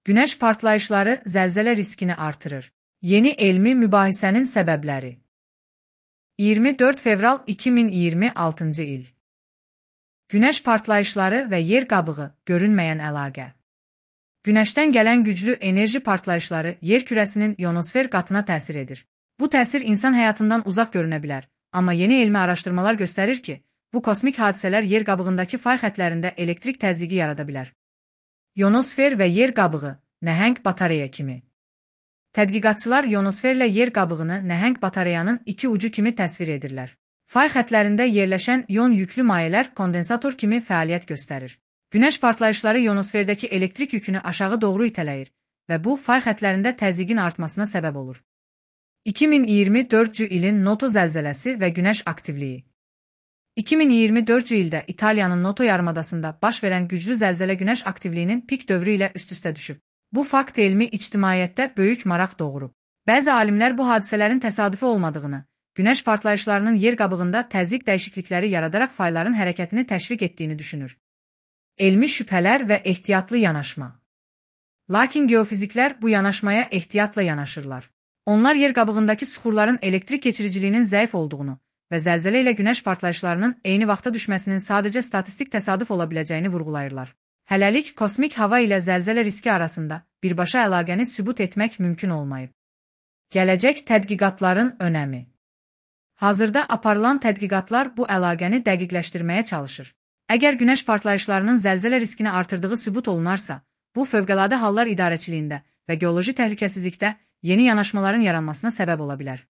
Günəş partlayışları zəlzələ riskini artırır. Yeni elmi mübahisənin səbəbləri. 24 fevral 2026-cı il. Günəş partlayışları və yer qabığı görünməyən əlaqə. Günəşdən gələn güclü enerji partlayışları yer kürəsinin ionosfer qatına təsir edir. Bu təsir insan həyatından uzaq görünə bilər, amma yeni elmi araşdırmalar göstərir ki, bu kosmik hadisələr yer qabığındakı fay xətlərində elektrik təzyiqi yarada bilər. İonosfer və yer qabığı, nəhəng batareya kimi. Tədqiqatçılar ionosferlə yer qabığını nəhəng batareyanın iki ucu kimi təsvir edirlər. Fay xətlərində yerləşən ion yüklü mayələr kondensator kimi fəaliyyət göstərir. Günəş partlayışları ionosferdəki elektrik yükünü aşağı doğru itələyir və bu fay xətlərində təzyiqin artmasına səbəb olur. 2024-cü ilin Noto zəlzələsi və günəş aktivliyi. 2024-cü ildə İtaliyanın Noto yarımadasında baş verən güclü zəlzələ günəş aktivliyinin pik dövrü ilə üst-üstə düşüb. Bu fakt elmi ictimaiyyətdə böyük maraq doğurub. Bəzi alimlər bu hadisələrin təsadüfi olmadığını, günəş partlayışlarının yer qabığında təzyiq dəyişiklikləri yaradaraq fayların hərəkətini təşviq etdiyini düşünür. Elmi şübhələr və ehtiyatlı yanaşma. Lakin geofiziklər bu yanaşmaya ehtiyatla yanaşırlar. Onlar yer qabığındakı süxurların elektrik keçiriciliyinin zəif olduğunu və zəlzələ ilə günəş partlayışlarının eyni vaxtda düşməsinin sadəcə statistik təsadüf ola biləcəyini vurğulayırlar. Hələlik kosmik hava ilə zəlzələ riski arasında birbaşa əlaqəni sübut etmək mümkün olmayıb. Gələcək tədqiqatların önəmi. Hazırda aparılan tədqiqatlar bu əlaqəni dəqiqləşdirməyə çalışır. Əgər günəş partlayışlarının zəlzələ riskini artırdığı sübut olunarsa, bu Fövqəladə Hallar İdarəçiliyində və geoloji təhlükəsizlikdə yeni yanaşmaların yaranmasına səbəb ola bilər.